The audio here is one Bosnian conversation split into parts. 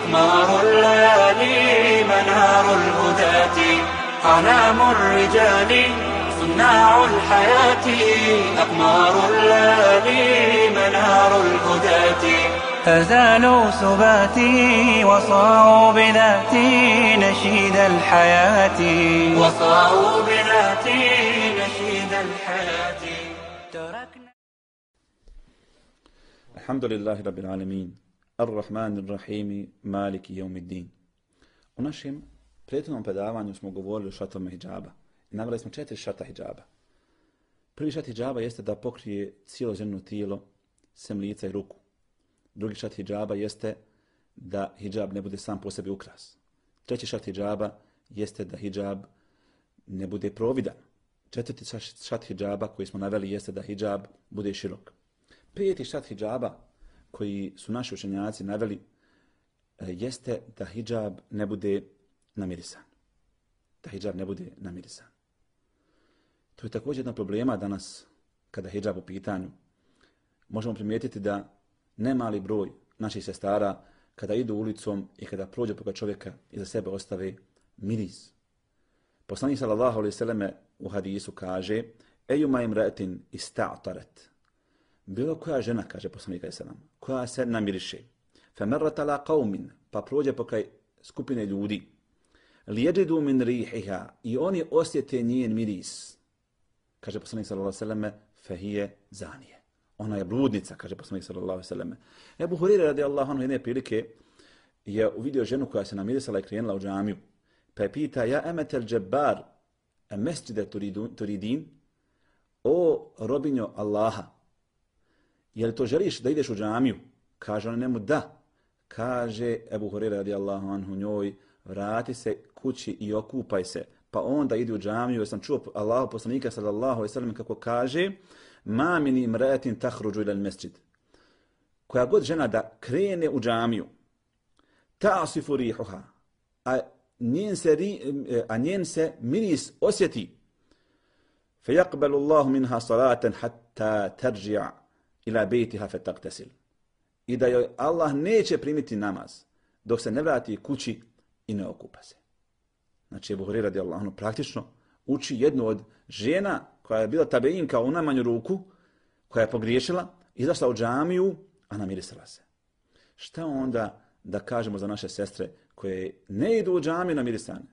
أقمار الليالي منار الهداة أعلام الرجال صناع الحياة أقمار الليالي منار الهداة أزالوا سباتي وصاروا بذاتي نشيد الحياة وصاروا بذاتي نشيد الحياة تركنا. الحمد لله رب العالمين الرحمن الرحيم مالك يوم الدين. U našem prethodnom predavanju smo govorili o šartovima hidžaba i naveli smo 4 šarta hidžaba. Prvi šart hidžaba jeste da pokrije cijelo ženo tijelo, sem lica i ruku. Drugi šart hidžaba jeste da hidžab ne bude sam po sebi ukras. Treći šart hidžaba jeste da hidžab ne bude providan. Četvrti šart hidžaba koji smo naveli jeste da hidžab bude širok. Peti šart hidžaba koji su naši učenjaci naveli jeste da hidžab ne bude namirisan. Da hidžab ne bude namirisan. To je također jedna problema danas kada hidžab u pitanju. Možemo primijetiti da nemali broj naših sestara kada idu ulicom i kada prođe pored čovjeka iza sebe ostave miris. Poslanik sallallahu alejhi ve selleme u hadisu kaže: "Ejuma imra'atin ista'tarat." Bilo koja žena, kaže poslanik sallallahu alejhi ve sellem, koja se namiriše, famarrat ala qaumin, pa prođe pokraj skupine ljudi, lijeđidu min rihiha, i oni osjete njen miris, kaže poslanik sallallahu alejhi ve selleme, fahije zanije. Ona je bludnica, kaže poslanik sallallahu alejhi ve selleme. Ebu Hurajra radijallahu anhu jedne prilike je uvidio ženu koja se namirisala i krenula u džamiju, pa je pita: "Ja emetel džabbar, a mesđide turidin?" O robinjo Allaha, je li to želiš da ideš u džamiju? Kaže ona njemu: "Da." Kaže Ebu Hurajra radijallahu anhu njoj: "Vrati se kući i okupaj se, pa onda idi u džamiju." Jer sam čuo Allahu poslanika sallallahu alejhi ve sellem kako kaže: "Ma min imra'atin takhruju ila al-masjid." Koja god žena da krene u džamiju, ta'sifu rihuha, a njen se miris osjeti, fayaqbalu Allahu minha salatan hatta tarji'a ila baytiha fataqtasil. I da joj Allah neće primiti namaz dok se ne vrati kući i ne okupa se. Znači Ebu Hurajra radijallahu anhu praktično uči jednu od žena koja je bila tabeinka u najmanju ruku, koja je pogriješila, izašla u džamiju, a namirisala se. Šta onda da kažemo za naše sestre koje ne idu u džamiju namirisane,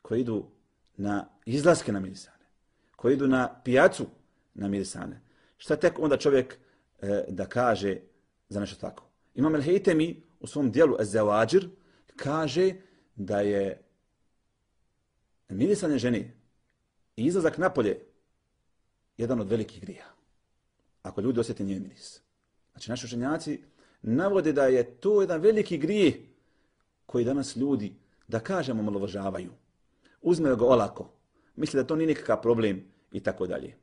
koje idu na izlaske namirisane, koje idu na pijacu namirisane? Šta tek onda čovjek da kaže za nešto tako? Imam el-Hejtemi u svom dijelu Ez-Zawajir kaže da je mirisanje žene i izlazak napolje jedan od velikih grija, ako ljudi osjeti njen miris. Znači naši učenjaci navode da je to jedan veliki grijeh koji danas ljudi, da kažemo, omalovažavaju. Uzme ga olako, misle da to nije nikakav problem i tako dalje.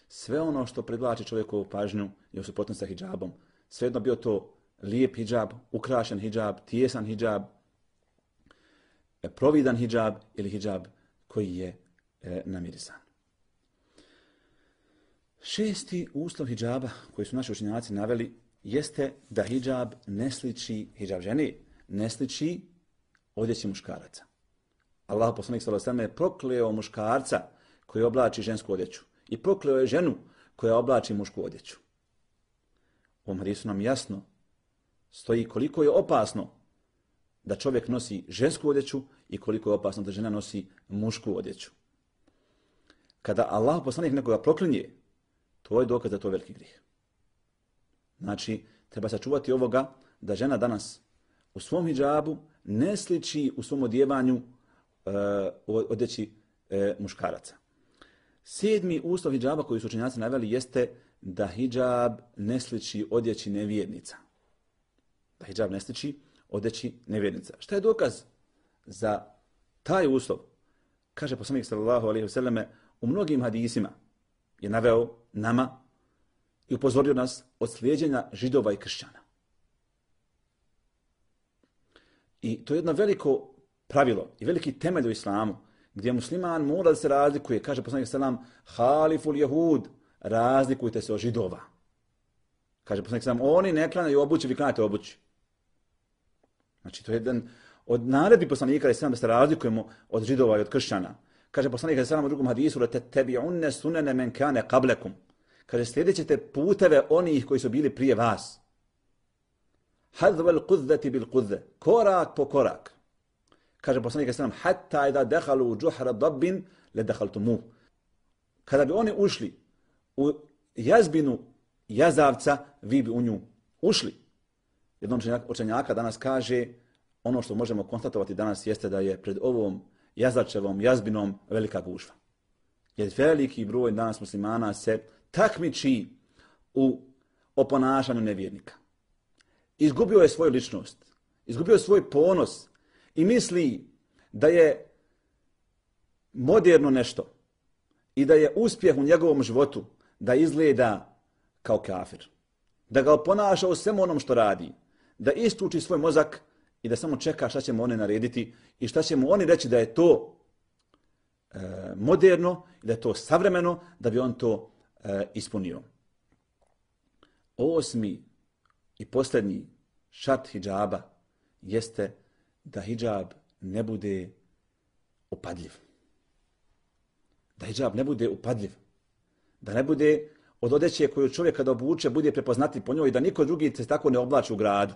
Sve ono što privlači čovjekovu pažnju je u suprotnosti sa hidžabom. Svejedno bio to lijep hidžab, ukrašen hidžab, tijesan hidžab, providan hidžab ili hidžab koji je namirisan. Šesti uslov hidžaba koji su naši učenjaci naveli jeste da hidžab ne sliči, hidžab žene ne sliči odjeći muškaraca. Allah poslanik sallallahu alejhi ve sellem je prokleo muškarca koji oblači žensku odjeću i prokleo je ženu koja oblači mušku odjeću. U ovom hadisu nam jasno stoji koliko je opasno da čovjek nosi žensku odjeću i koliko je opasno da žena nosi mušku odjeću. Kada Allah poslanik nekoga proklinje, to je dokaz da to je veliki grijeh. Znači, treba sačuvati ovoga da žena danas u svom hidžabu ne sliči u svom odjevanju odjeći muškaraca. Sedmi uslov hidžaba koji su učenjaci naveli jeste da hidžab ne sliči odjeći nevjernica. Da hidžab ne sliči odjeći nevjernica. Šta je dokaz za taj uslov? Kaže poslanik sallallahu alejhi ve selleme u mnogim hadisima je naveo nama i upozorio nas od slijeđenja židova i kršćana. I to je jedno veliko pravilo i veliki temelj u islamu, gdje musliman mora da se razlikuje. Kaže poslanik sallam: haliful jehud, razlikujte se od židova. Kaže poslanik sallam: oni ne klanjaju obući, vi klanjate obući. Znači, to je jedan od naredbi poslanika da se razlikujemo od židova i od kršćana. Kaže poslanik sallallahu u drugom hadisu: "Tattabi'unna sunana man kana qablakum." Kaže, slijedit ćete puteve onih koji su bili prije vas. Hadval qudzati bil qudze, korak po korak. Kaže poslanik sallallahu hatta idha dakhalu juhra dabbin la dakhaltumuh. Kada bi oni ušli u jazbinu jazavca, vi bi u nju ušli. Jedan učenjaka danas kaže, ono što možemo konstatovati danas jeste da je pred ovom jazavčevom jazbinom velika gužva. Jer veliki broj danas muslimana se takmiči u oponašanju nevjernika. Izgubio je svoju ličnost, izgubio je svoj ponos i misli da je moderno nešto i da je uspjeh u njegovom životu da izgleda kao kafir. Da ga oponaša u svemu onom što radi, da isključi svoj mozak i da samo čeka šta će mu oni narediti i šta će mu oni reći da je to moderno, da je to savremeno, da bi on to ispunio. 8. i posljednji šart hidžaba jeste da hidžab ne bude upadljiv. Da hidžab ne bude upadljiv. Da ne bude od odeće koju čovjek kada obuče bude prepoznati po njoj, da niko drugi se tako ne oblači u gradu.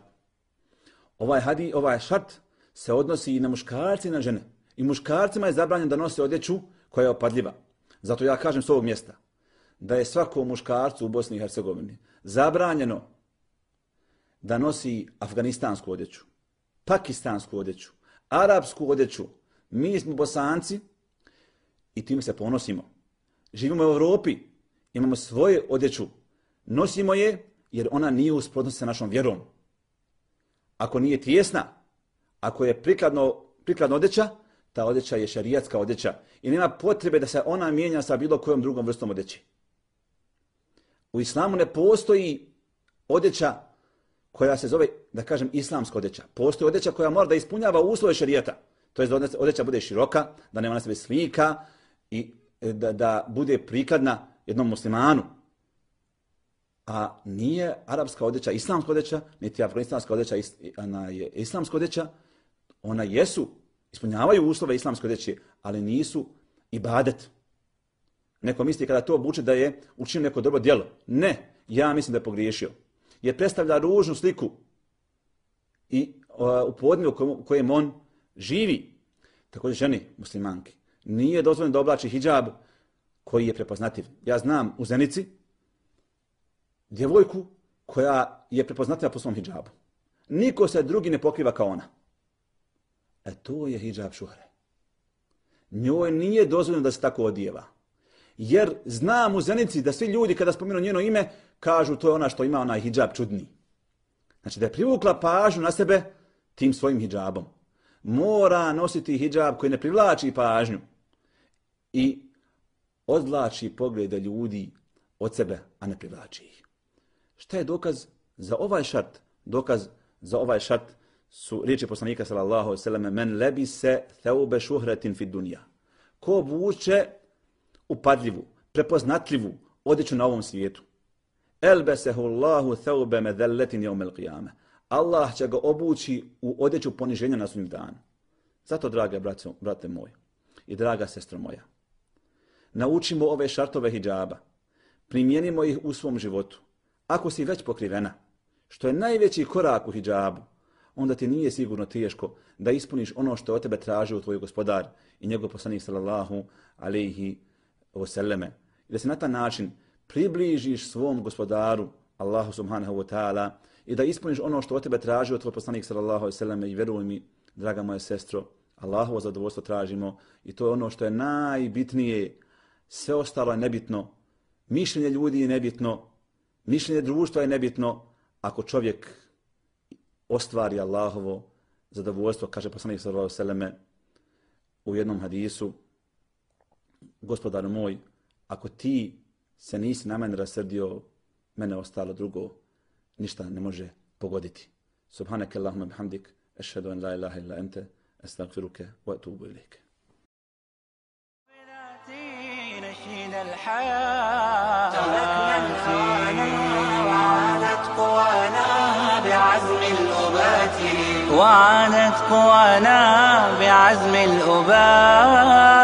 Ovaj šart se odnosi i na muškarce i na žene. I muškarcima je zabranjeno da nose odjeću koja je opadljiva. Zato ja kažem s ovog mjesta da je svakom muškarcu u Bosni i Hercegovini zabranjeno da nosi afganistansku odjeću, pakistansku odjeću, arapsku odjeću. Mi smo Bosanci i tim se ponosimo. Živimo u Europi, imamo svoju odjeću, nosimo je jer ona nije u suprotnosti sa našom vjerom. Ako nije tijesna, ako je prikladna odjeća, ta odjeća je šerijatska odjeća i nema potrebe da se ona mijenja sa bilo kojom drugom vrstom odjeće. U islamu ne postoji odjeća koja se zove, da kažem, islamska odjeća. Postoji odjeća koja mora da ispunjava uslove šerijata. To je da odjeća bude široka, da nema na sebi slika i da bude prikladna jednom muslimanu. A nije arapska odjeća islamska odjeća, niti afganistanska odjeća ona je islamska odjeća. Ona ispunjavaju uslove islamske odjeće, ali nisu ibadet. Neko misli kada to obuče da je učinio neko dobro djelo. Ne, ja mislim da je pogriješio. Jer predstavlja ružnu sliku i u podneblju u kojem on živi. Također ženi muslimanki. Nije dozvoljeno da oblači hidžab koji je prepoznativ. Ja znam u Zenici djevojku koja je prepoznativa po svom hidžabu. Niko se drugi ne pokriva kao ona. To je hidžab šuhre. Njoj nije dozvoljeno da se tako odijeva. Jer znam u Zenici da svi ljudi kada spominu njeno ime kažu to je ona što ima onaj hidžab čudni. Znači da je privukla pažnju na sebe tim svojim hidžabom. Mora nositi hidžab koji ne privlači pažnju i odvlači poglede ljudi od sebe, a ne privlači ih. Šta je dokaz za ovaj šart? Dokaz za ovaj šart su riječi poslanika sallallahu alejhi ve selleme: "Men lebise thawba shuhratin fid dunya." Ko obuče upadljivu, prepoznatljivu odjeću na ovom svijetu. Elbesehu Allahu thawba madhallatin yawm al-qiyamah. Allah će ga obući u odjeću poniženja na sudnjem danu. Zato, drage brate moj i draga sestro moja, naučimo ove šartove hidžaba, primijenimo ih u svom životu. Ako si već pokrivena, što je najveći korak u hidžabu, onda ti nije sigurno teško da ispuniš ono što od tebe traži tvoj gospodar i njegov poslanik sallallahu alejhi ve selleme. I da se na taj način približiš svom gospodaru Allahu subhanahu wa ta'ala i da ispuniš ono što od tebe traži tvoj poslanik sallallahu alejhi ve selleme. I vjeruj mi, draga moja sestro, Allahovo zadovoljstvo tražimo i to je ono što je najbitnije. Sve ostalo je nebitno. Mišljenje ljudi je nebitno. Mišljenje društva je nebitno ako čovjek ostvari Allahovo zadovoljstvo, kaže poslanik sallallahu alejhi ve selleme u jednom hadisu: Gospodaru moj, ako ti se nisi na mene rasrdio, mene ostalo drugo ništa ne može pogoditi. Subhanaka Allahumma bihamdik, ashhadu an la ilaha illa anta, astaghfiruka wa atubu ilayk. تركنا الهوانا وعادت قوانا بعزم الأبات وعانت قوانا بعزم الأباء